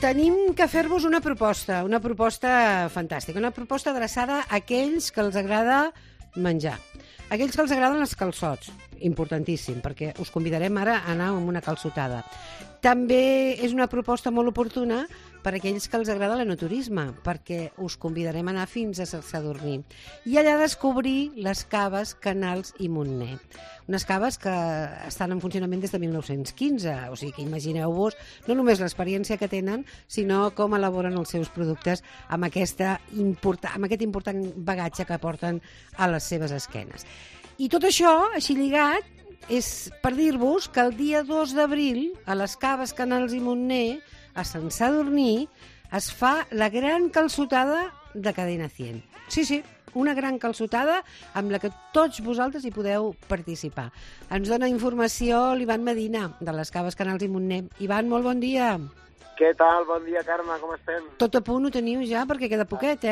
tenim que fer-vos una proposta fantàstica, una proposta adreçada a aquells que els agrada menjar, aquells que els agraden els calçots, importantíssim, perquè us convidarem ara a anar amb una calçotada. També és una proposta molt oportuna per a aquells que els agrada l'enoturisme, perquè us convidarem a anar fins a Sant Sadurní i allà descobrir les caves Canals i Montner. Unes caves que estan en funcionament des de 1915, o sigui que imagineu-vos no només l'experiència que tenen, sinó com elaboren els seus productes amb aquest important bagatge que porten a les seves esquenes. I tot això, així lligat, és per dir-vos que el dia 2 d'abril, a les caves Canals i Montner, a Sant Sadurní, es fa la gran calçotada de Cadena 100. Sí, una gran calçotada amb la que tots vosaltres hi podeu participar. Ens dona informació l'Ivan Medina, de les caves Canals i Montner. Ivan, molt bon dia. Què tal? Bon dia, Carme, com estem? Tot a punt ho teniu ja, perquè queda poquet,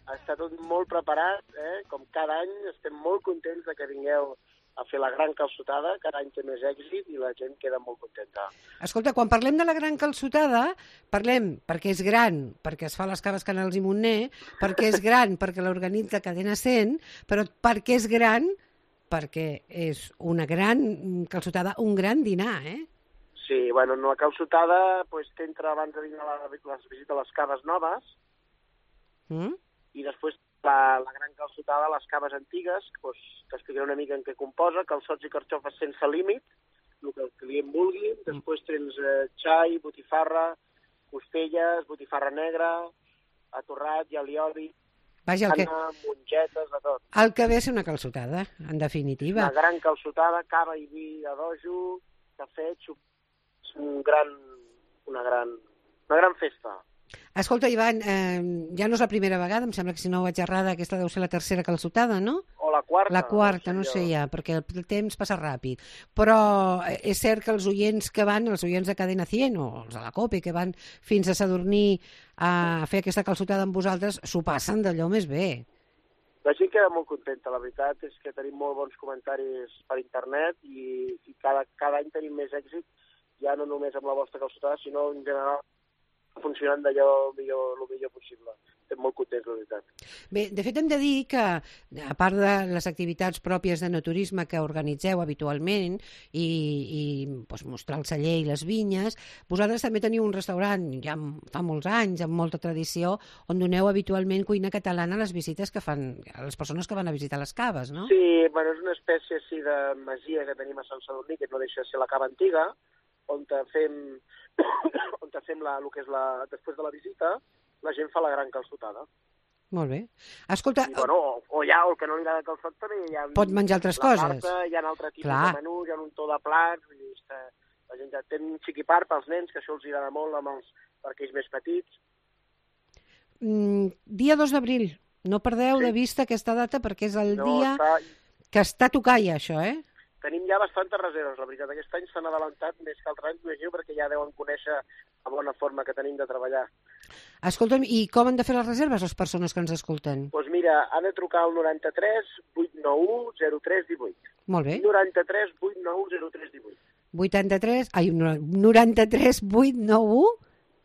Està tot molt preparat, com cada any. Estem molt contents de que vingueu a fer la gran calçotada, cada any té més èxit i la gent queda molt contenta. Escolta, quan parlem de la gran calçotada, parlem perquè és gran, perquè es fa a les caves Canals i Montner, perquè és gran, perquè l'organitza Cadena 100, però perquè és gran, perquè és una gran calçotada, un gran dinar, Sí, bueno, la calçotada t'entra abans de dinar la visita a les caves noves i després la gran calçotada a les caves antigues, t'explicaré una mica en què composa, calçots i carxofes sense límit, el que el client vulgui, després tens xai, botifarra, costelles, botifarra negra, atorrat, alioli, mongetes, de tot. El que ve és una calçotada, en definitiva. Una gran calçotada, cava i vi a dojo, cafè, una gran festa. Escolta, Ivan, ja no és la primera vegada, em sembla que si no ho vaig errada, aquesta deu ser la tercera calçotada, no? O la quarta. La quarta, no sé ja, perquè el temps passa ràpid. Però és cert que els oients de Cadena 100 o els de la COPE que van fins a Sadurní a fer aquesta calçotada amb vosaltres, s'ho passen d'allò més bé. La gent queda molt contenta, la veritat és que tenim molt bons comentaris per internet i cada any tenim més èxit, ja no només amb la vostra calçotada, sinó en general funcionant d'allò el millor possible. Estem molt contents, la veritat. Bé, de fet hem de dir que, a part de les activitats pròpies d'enoturisme que organitzeu habitualment i mostrar el celler i les vinyes, vosaltres també teniu un restaurant ja fa molts anys, amb molta tradició, on doneu habitualment cuina catalana a les visites que fan, a les persones que van a visitar les caves, no? Sí, bueno, és una espècie així de masia que tenim a Sant Sadurní, que no deixa de ser la cava antiga, on fem el que és després de la visita, la gent fa la gran calçotada. Molt bé. Escolta... O el que no li agrada calçot també hi ha... Pot menjar altres coses. Carta, hi ha altre tipus de menú, hi ha un to de plats, la gent té un xiquipar pels nens, que això els agrada molt per aquells més petits. Dia 2 d'abril. No perdeu de vista aquesta data perquè és el dia que està a tocar ja, això, Tenim ja bastantes reserves, la veritat. Aquest any s'han adelantat més que altres anys, m'imagino, perquè ja deuen conèixer la bona forma que tenim de treballar. Escolta'm, i com han de fer les reserves les persones que ens escolten? Doncs mira, han de trucar al 93 891 0318. Molt bé. 93 891 0318. 93 891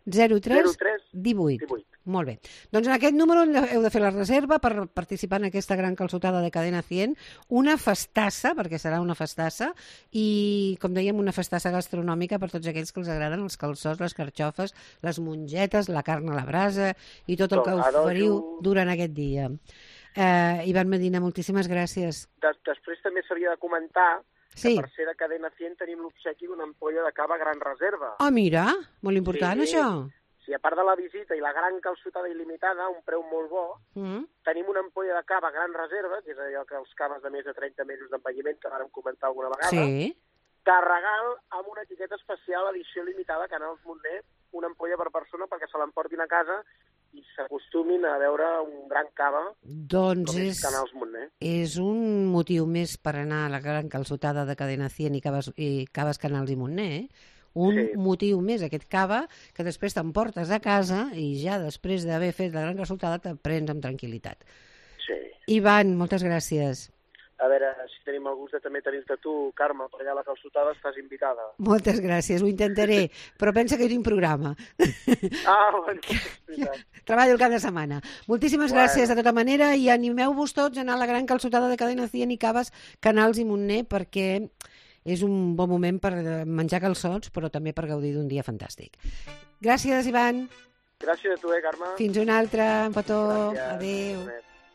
0318. Molt bé. Doncs en aquest número heu de fer la reserva per participar en aquesta gran calçotada de Cadena 100. Una festassa, perquè serà una festassa, i, com dèiem, una festassa gastronòmica per tots aquells que els agraden els calçots, les carxofes, les mongetes, la carn a la brasa i tot el que oferiu durant aquest dia. Ivan Medina, moltíssimes gràcies. Després també s'havia de comentar que per ser de Cadena 100 tenim l'obsequi d'una ampolla de cava Gran Reserva. Ah, mira, molt important això. Sí, a part de la visita i la gran calçotada il·limitada, un preu molt bo, tenim una ampolla de cava Gran Reserva, que és allò que els caves de més de 30 mesos d'envelliment, que vàrem comentar alguna vegada, de regal amb una etiqueta especial, edició limitada, Canals Montner, una ampolla per persona perquè se l'emportin a casa i s'acostumin a veure un gran cava com és Canals Montner. És un motiu més per anar a la gran calçotada de Cadena 100 i caves Canals i Montner, motiu més, aquest cava, que després t'emportes a casa i ja després d'haver fet la gran calçotada te prens amb tranquil·litat. Sí. Ivan, moltes gràcies. a veure si tenim el gust de també tenir-te tu, Carme, per allà a la calçotada, estàs invitada. Moltes gràcies, ho intentaré, però pensa que jo tinc programa. Bueno, Treballo el cap de setmana. Moltíssimes gràcies de tota manera i animeu-vos tots a anar a la gran calçotada de Cadena 100 i Caves, Canals i Montner, perquè és un bon moment per menjar calçots, però també per gaudir d'un dia fantàstic. Gràcies, Ivan. Gràcies a tu, Carme. Fins una altra, un petó. Gràcies. Adéu.